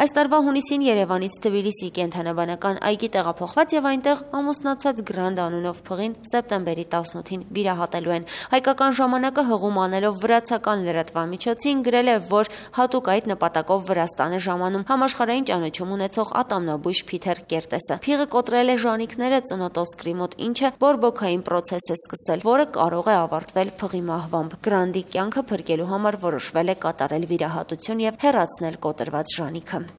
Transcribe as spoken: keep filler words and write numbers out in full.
Այս տարվա հունիսին Երևանից Թբիլիսի կենդանաբանական այգի տեղափոխված եւ այնտեղ ամուսնացած Գրանդ անունով փղին սեպտեմբերի տասնութին վիրահատելու են։ Հայկական ժամանակը հղում անելով վրացական լրատվամիջոցին գրել է, որ հատուկ այդ նպատակով Վրաստան է ժամանում համաշխարհային ճանաչում ունեցող ատամնաբույժ Փիթեր Կերտեսը։ Փիղը կոտրել է ժանիքները ծնոտոսկրի մոտ, ինչը բորբոքային պրոցես է սկսել, որը կարող է ավարտվել փղի մահվամբ։ Գրանդի կյանքը փրկելու համար որոշվել է կատարել վիրահատություն եւ հեռացնել կոտրված ժանիքը։